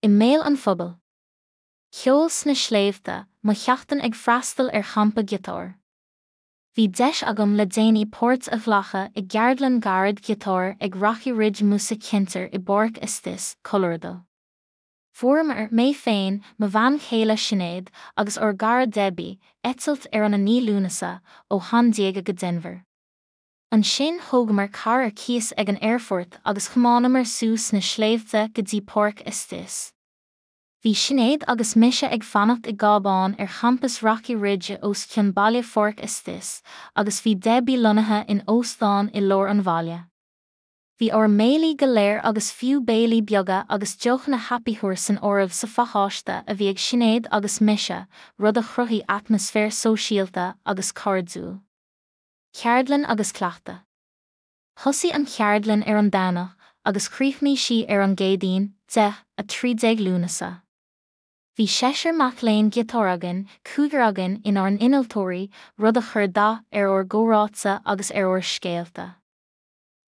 I mbéal an phobail. Ceol sna sléibhte, mo sheachtain ag freastal ar champa giotáir. Bhí deis agam le déanaí páirt a ghlacadh i gceardlann ghairid ghiotáir ag Rocky Ridge Music Center i bPáirc Estes, Colorado. Fuaireamar, mé féin, mo bhean chéile Sinéad, agus ár gcara Debbie, eitilt ar an 9 Lúnasa, ó Shan Diego go Denver. Ansin thógamar carr ar cíos ag an aerfort agus thiomáineamar suas na sléibhte go dtí Páirc Estes. Bhí Sinéad agus mise ag fanacht i gcábán ar champas Rocky Ridge os cionn baile Pháirc Estes agus bhí Debbie lonnaithe in óstán i lár an bhaile. Bhí ár mbéilí go léir agus fiú béilí beaga agus deochanna happy hour san áireamh sa phacáiste a bhí ag Sinéad agus mise, rud a chruthaigh atmaisféar sóisialta agus cairdiúil. Ceardlann agus cleachtadh. Thosaigh an cheardlann ar an Domhnach agus chríochnaigh sí ar an gCéadaoin, 10, 13 Lúnasa. Bhí seisear mac léinn giotáir againn, cúigear againn inár n-innealtóirí, rud a chuir dath ar ár gcomhráite agus ar ár scéalta.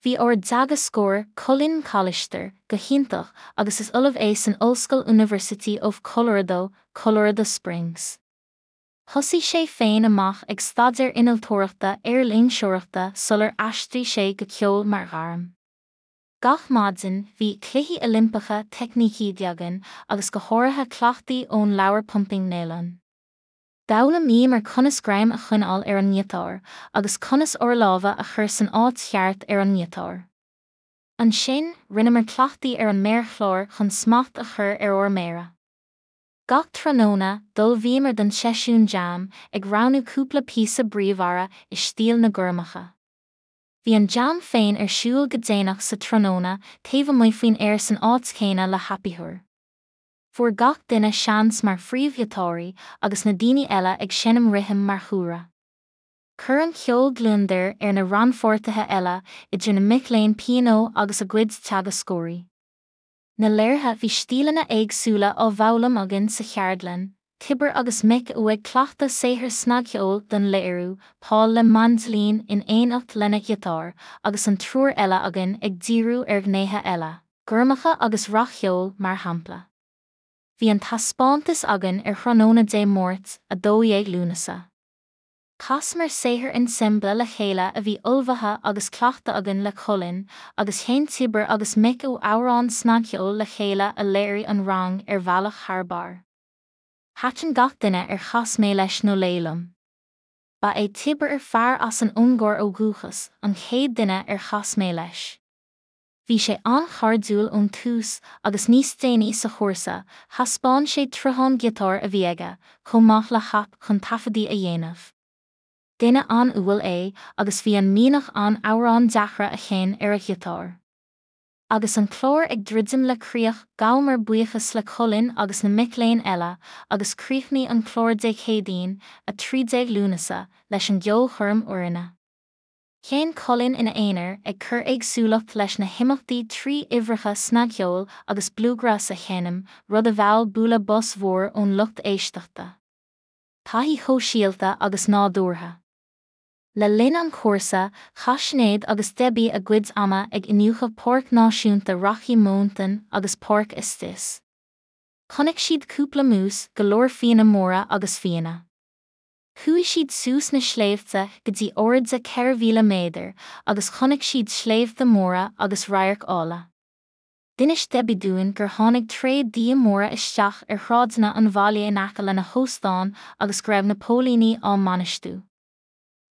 Bhí ár dteagascóir, Colin McAllister, go hiontach agus is ollamh é san ollscoil University of Colorado, Colorado Springs. Thosaigh sé féin amach ag staidéar innealtóireachta aerloingseoireachta sular aistrigh sé go ceol mar ghairm. Gach maidin, bhí cluichí Oilimpeacha teicnící againn agus go háirithe cleachtaí ón leabhar Pumping Nylon. D'fhoghlaimíomar conas greim a choinneáil ar an ngiotár agus conas ár lámha a chur san áit cheart ar an ngiotár. Ansin, rinneamar cleachtaí ar an méarchlár chun smacht a chur ar ár méara. Gach tráthnóna, d'ullmhaíomar don seisiún jam, ag roghnú cúpla píosa bríomhara i stíl na gormacha. Bhí an jam féin ar siúl go déanach sa tráthnóna taobh amuigh faoin aer san áit chéanna le happy hour. Fuair gach duine seans mar phríomhghiotáraí agus na daoine eile ag seinm rithim mar chúlra. Chuir an ceol gliondar ar na rannpháirtithe eile, idir na mic léinn pianó agus a gcuid teagascóirí. Na léirithe Bhí stíleanna éagsúla á bhfoghlaim againn sa cheardlann, Tibor agus Mick Ó ag cleachtadh saothar snagcheoil don léiriú, Paul le maindilín in éineacht lena ghiotár, agus an triúr eile againn ag díriú ar ghnéithe eile, gormacha agus rac-cheol, mar shampla. Bhí an taispeántas againn ar thráthnóna Dé Máirt, 12 Lúnasa. Chasamar saothar ensemble le chéile a bhí ullmhaithe agus cleachta againn le Colin, agus sheinn Tibor agus Mick Ó amhrán snagcheoil le chéile a léirigh an rang ar bhealach thar barr. Thaitin gach duine ar chas mé leis nó léi liom. Ba é Tibor, fear as an Ungáir ó dhúchas, an chéad duine ar chas mé leis. Bhí sé an-chairdiúil ón tús agus níos déanaí sa chúrsa, thaispeáin sé troitheán giotáir a bhí aige, chomh maith le haip chun taifeadaí a dhéanamh. Duine an-umhal é agus bhí an mianach ann amhráin deacra a sheinn ar a ghiotár. Agus an clár ag druidim le críoch, ghabhamar buíochas le Colin agus na mic léinn eile agus chríochnaigh an clár Dé Céadaoin, 13 Lúnasa, leis an gceolchoirm fhoirne. Sheinn Colin ina aonar, ag cur éagsúlacht leis na himeachtaí trí uimhreacha snagcheoil agus bluegrass a sheinm, rud a mheall bualadh bos mhór ón lucht éisteachta. Taithí shóisialta agus nádúrtha. Le linn an chúrsa, chaith Sinéad agus Debbie a gcuid ama ag iniúchadh Páirc Náisiúnta Rocky Mountain agus Páirc Estes. Chonaic siad cúpla mús, go leor fianna móra agus fianna. Chuaigh siad suas na sléibhte go dtí airde 4,000 méadar agus chonaic siad sléibhte móra agus radhairc áille. D'inis Debbie dúinn gur tháinig tréad d'fhia móra isteach ar shráideanna an bhaile in aice lena hóstán agus go raibh na póilíní á mbainistiú.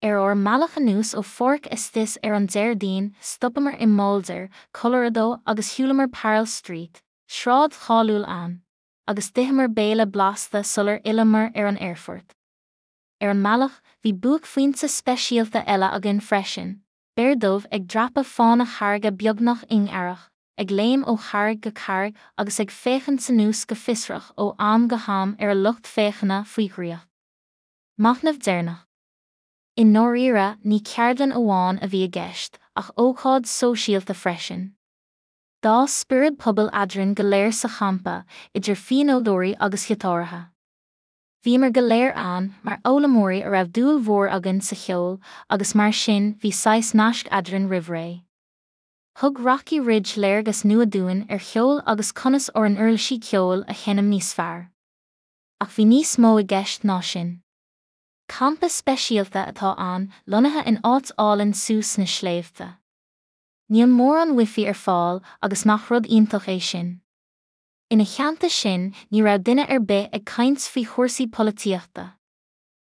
Ar ár mbealach anuas ó Pháirc Estes ar an Déardaoin, stopamar i mBoulder, Colorado agus shiúlamar Pearl Street, sráid cháiliúil ann. agus d'itheamar béile blasta sular fhilleamar ar an aerfort. Ar an mbealach, bhí buaicphointe speisialta eile againn freisin, béar dubh ag dreapadh fána charraige beagnach ingearach, ag léim ó charraig go carraig agus ag féachaint anuas go fiosrach ó am go ham ar a lucht féachana faoi dhraíocht. Machnamh deireanach. I ndáiríre, ní ceardlann amháin a bhí i gceist, ach ócáid sóisialta freisin. D'fhás spiorad pobail eadrainn go léir sa champa, idir phianódóirí agus ghiotáraithe. Bhíomar go léir ann mar fhoghlaimeoirí a raibh dúil mhór againn sa cheol agus mar sin bhí saghas naisc eadrainn roimh ré. Thug Rocky Ridge léargas nua dúinn ar cheol agus conas ár n-uirlisí ceoil a sheinm níos fearr. Ach bhí níos mó i gceist ná sin. Campa speisialta atá ann, lonnaithe in áit álainn suas sna sléibhte. Níl mórán wifi ar fáil agus nach rud iontach é sin? Ina theannta sin ní raibh duine ar bith ag caint faoi chúrsaí polaitíochta.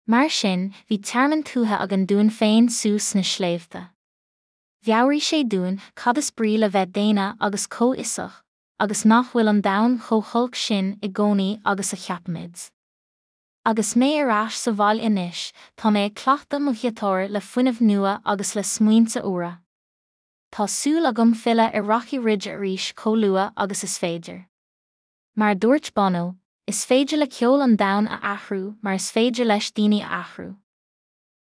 Mar sin bhí tearmann tuaithe againn dúinn féin suas sna sléibhte. Mheabhraigh sé dúinn cad is brí le bheith daonna agus comhfhiosach, agus nach bhfuil an domhan chomh holc sin i gcónaí agus a cheapaimid. Agus mé ar ais sa bhaile anois, tá mé ag cleachtadh mo ghiotár le fuinneamh nua agus le smaointe úra. Tá súil agam filleadh ar Rocky Ridge arís chomh luath agus is féidir. Mar a dúirt Bono, is féidir le ceol an domhan a athrú mar is féidir leis daoine a athrú.